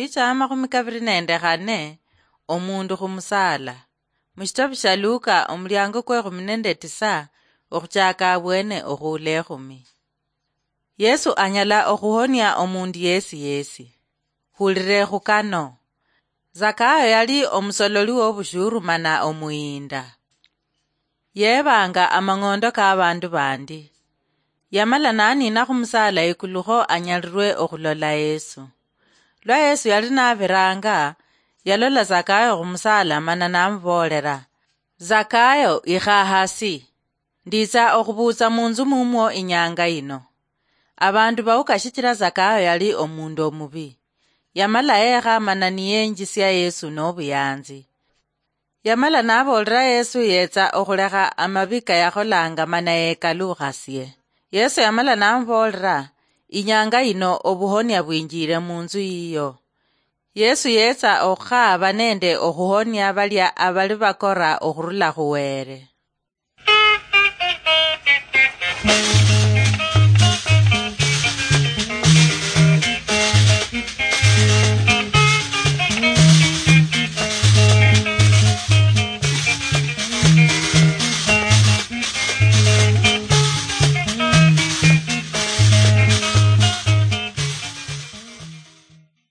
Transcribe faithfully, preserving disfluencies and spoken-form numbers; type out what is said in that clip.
Picha ya makhumi kabiri nende khane, omundu khumusaala. Mushitabu sha Luka, omuliango kwe khumi nende tisa, okhuchaka abwene okhuula ekhumi. Yesu anyala okhuhonia omundu yesi yesi. Hulire khukano. Zakayo yali omusololi wobushuru mana omuyinda. Yeebanga amang'ondo k'abandu bandi. Yamala n'aniina khumusaala ikulu kho anyalirwe okhulola Yesu. Lwa Yesu yali nabiranga, yalola Zakayo khumusaala mana namuboolera, "Zakayo, ikha hasi. Nditsa okhubuutsa munzu mumwo inyanga yino." Abandu bawuka shichira Zakayo yali omundu omubi. Yamala yeekha mana niyenjisia Yesu nobuyanzi. Yamala naboolera Yesu yetsa okhulekha amabi kayakholanga mana yekalukhasie. Yesu yamala namuboolera, "Inyanga yino obuhonia bwinjire munzu yiyo." Yesu yetsa okhukhaba nende okhuhonia balia abali bakora okhurula khu Were.